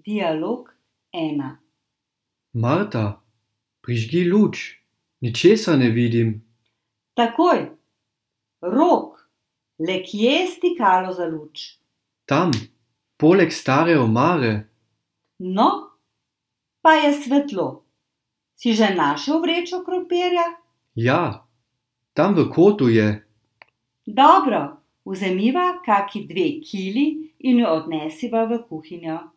Dialog 1. Marta, prižgi luč, ničesar ne vidim. Takoj. Rok, le kje je stikalo za luč? Tam, poleg stare omare. No, pa je svetlo. Si že našel vrečo krompirja? Ja, tam v kotu je. Dobro, vzemiva kaki 2 kili in jo odnesiva v kuhinjo.